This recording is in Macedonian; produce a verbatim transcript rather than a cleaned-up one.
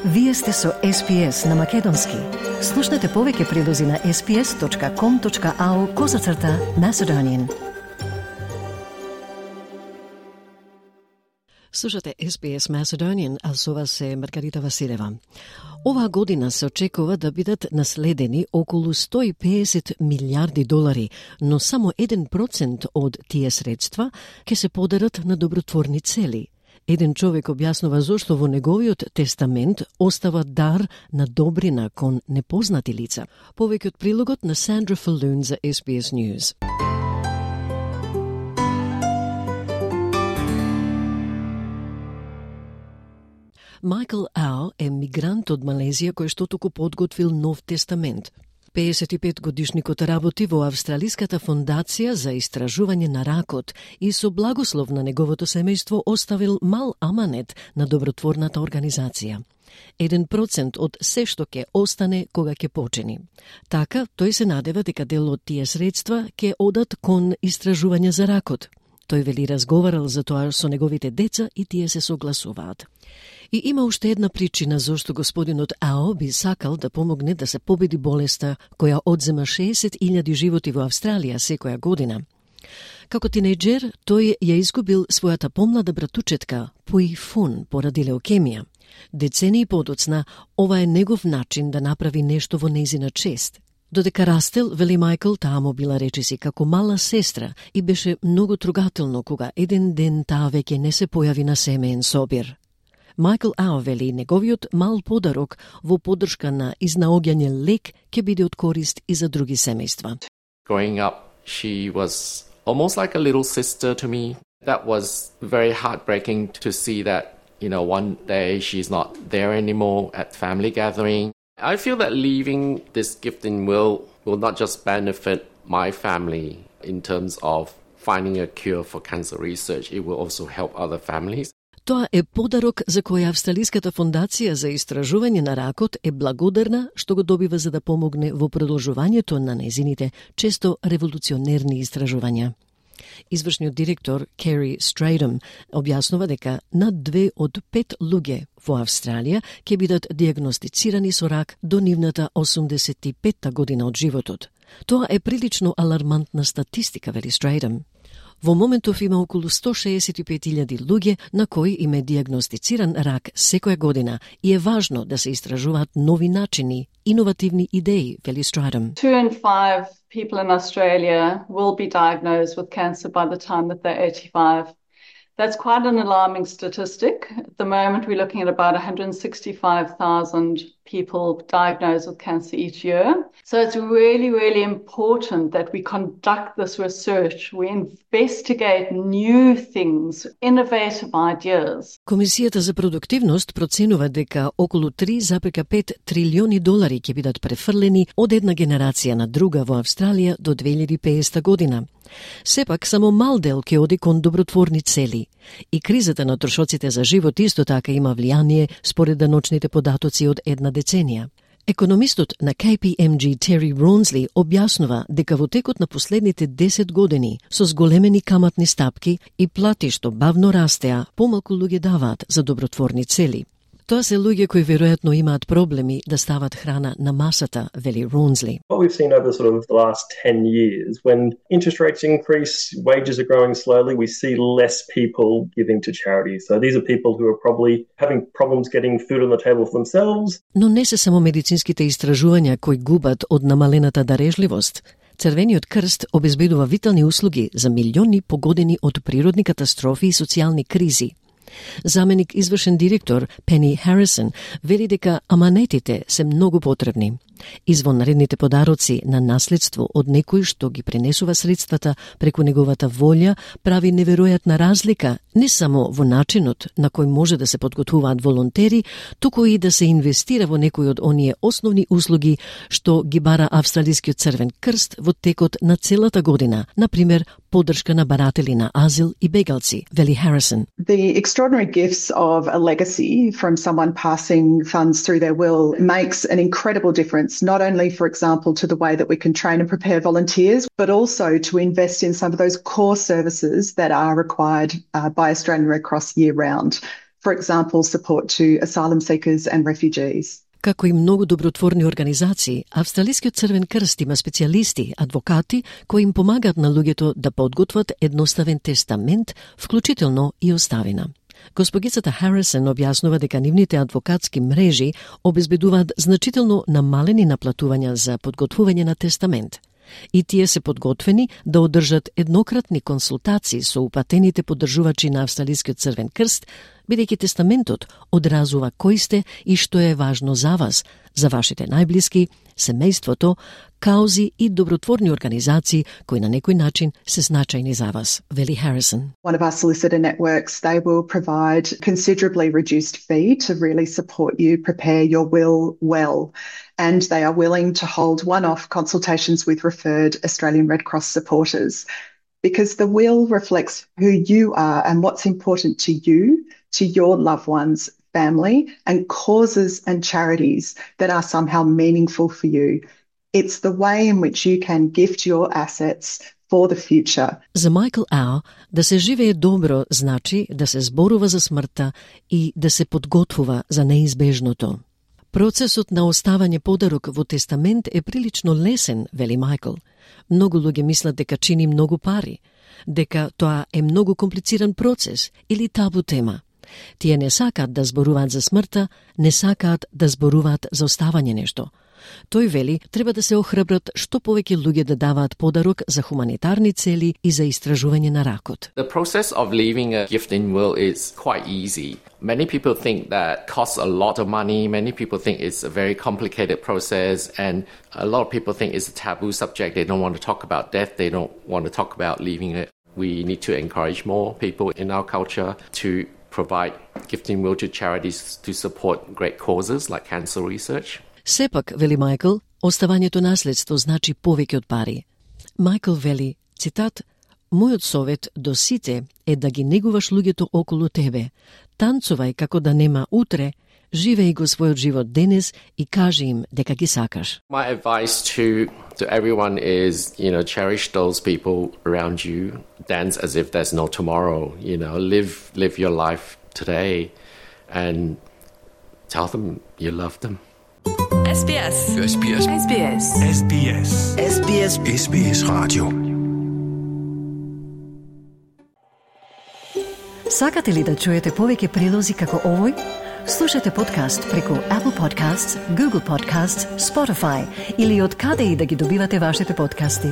Вие сте со Ес Пи Ес на Македонски. Слушнете повеќе прилози на ес пи ес точка ком точка ау козацрта Macedonian. Слушате Ес Пи Ес Macedonian, а со вас е Маргарита Василева. Оваа година се очекува да бидат наследени околу сто и песет милиарди долари, но само еден процент од тие средства ќе се подарат на добротворни цели. Еден човек објаснува зошто во неговиот тестамент остава дар на добрина кон непознати лица. Повеќе од прилогот на Сандра Фалун за Ес Би Ес News. Майкл Ау е мигрант од Малезија кој што току подготвил нов тестамент. пеесет и пет годишникот работи во Австралиската фондација за истражување на ракот и со благослов на неговото семејство оставил мал аманет на добротворната организација. Еден процент од се што ќе остане кога ќе почини. Така, тој се надева дека дел од тие средства ќе одат кон истражување за ракот. Тој вели разговарал за тоа со неговите деца и тие се согласуваат. И има уште една причина зошто господинот Ао би сакал да помогне да се победи болеста која одзема шеесет илјади животи во Австралија секоја година. Како тинејџер, тој ја изгубил својата помлада братучетка Пуи Фун поради леукемија. Децении подоцна, ова е негов начин да направи нешто во нејзина чест. Додека растел, вели Майкл, таа му била речиси како мала сестра и беше многу трогателно кога еден ден таа веќе не се појави на семеен собир. Майкл Ау вели неговиот мал подарок во поддршка на изнаоѓање лек ќе биде од корист и за други семејства. Growing up, she was almost like a little sister to me. That was very heartbreaking to see that, you know, one day she's not there anymore at family gathering. I feel that leaving this gifting will will not just benefit my family in terms of finding a cure for cancer research, it will also help other families. Тоа е подарок за кој Австралиската фондација за истражување на ракот е благодарна што го добива за да помогне во продолжувањето на незините често револуционерни истражувања. Извршниот директор Кери Стрејдом објаснува дека над две од пет луѓе во Австралија ќе бидат диагностицирани со рак до нивната осумдесет и петта година од животот. Тоа е прилично алармантна статистика, вели Стрејдом. Во моментов има околу сто шеесет и пет илјади луѓе на кои им е диагностициран рак секоја година и е важно да се истражуваат нови начини, иновативни идеи, вели Стрејдом. Two in five people in Australia will be diagnosed with cancer by the time that they're eighty-five. That's quite an alarming statistic. At the moment, we're looking at about one hundred sixty-five thousand people diagnosed with cancer each year. So it's really, really important that we conduct this research. We investigate new things, innovative ideas. Комисијата за продуктивност проценува дека околу три zarez пет трилиони долари ќе бидат префрлени од една генерација на друга во Австралија до две илјади и педесета година. Сепак, само мал дел ќе оди кон добротворни цели. И кризата на трошоците за живот исто така има влијание според даночните податоци од една деценија. Економистот на Кей Пи Ем Джи Тери Ронсли објаснува дека во текот на последните десет години со зголемени каматни стапки и плати што бавно растеа, помалку луѓе даваат за добротворни цели. Тоа се луѓе кои веројатно имаат проблеми да стават храна на масата, вели Ронсли. What we've seen over sort of the last ten years, when interest rates increase, wages are growing slowly, we see less people giving to charity. So these are people who are probably having problems getting food on the table for themselves. Но не се само медицинските истражувања кои губат од намалената дарежливост. Црвениот крст обезбедува витални услуги за милиони погодени од природни катастрофи и социјални кризи. Заменик извршен директор Пени Харисон вели дека аманетите се многу потребни. Извонредните подароци на наследство од некој што ги пренесува средствата преку неговата волја прави неверојатна разлика не само во начинот на кој може да се подготвуваат волонтери, туку и да се инвестира во некој од оние основни услуги што ги бара Австралискиот црвен крст во текот на целата година, например поддршка на баратели на азил и бегалци, вели Харисон. The extraordinary gifts of a legacy from someone passing funds through their will makes an incredible difference, not only, for example, to the way that we can train and prepare volunteers, but also to invest in some of those core services that are required uh, by Australian Red Cross year round. For example, support to asylum seekers and refugees. Како и многу добротворни организации, Австралискиот Црвен крст има специјалисти, адвокати, кои им помагаат на луѓето да подготват едноставен тестамент, вклучително и оставина. Госпогицата Харисон објаснува дека нивните адвокатски мрежи обезбедуваат значително намалени наплатувања за подготвување на тестамент. И тие се подготвени да одржат еднократни консултации со упатените поддржувачи на Австралискиот Црвен крст, бидејќи тестаментот одразува кој сте и што е важно за вас, за вашите најблиски, семејството, каузи и добротворни организации кои на некој начин се значајни за вас, вели Харисон. One of our solicitor networks, they will provide considerably reduced fee to really support you prepare your will well. And they are willing to hold one-off consultations with referred Australian Red Cross supporters because the will reflects who you are and what's important to you, to your loved ones, family, and causes and charities that are somehow meaningful for you. It's the way in which you can gift your assets for the future. За Майкл Ау, да се живее добро значи да се зборува за смртта и да се подготвува за неизбежното. Процесот на оставање подарок во тестамент е прилично лесен, вели Майкл. Многу луѓе мислат дека чини многу пари, дека тоа е многу комплициран процес или табу тема. Тие не сакаат да зборуваат за смртта, не сакаат да зборуваат за оставање нешто. Тој вели, треба да се охрабрат што повеќе луѓе да даваат подарок за хуманитарни цели и за истражување на ракот. The process of leaving a gifting will is quite easy. Many people think that costs a lot of money. Many people think it's a very complicated process, and a lot of people think it's a taboo subject. They don't want to talk about death. They don't want to talk about leaving it. We need to encourage more people in our culture to provide gifting will to charities to support great causes like cancer research. Сепак, вели Майкл, оставањето наследство значи повеќе од пари. Майкл вели, цитат, "Мојот совет до сите е да ги негуваш луѓето околу тебе. Танцувај како да нема утре, живеј го својот живот денес и кажи им дека ги сакаш." My advice to to everyone is, you know, cherish those people around you. Dance as if there's no tomorrow. You know, live live your life today, and tell them you love them. S B S. S B S. S B S. S B S. S B S. S B S Radio. Сакате ли да чуете повеќе прилози како овој? Слушате подкаст преку Apple Podcasts, Google Podcasts, Spotify или од каде и да ги добивате вашите подкасти.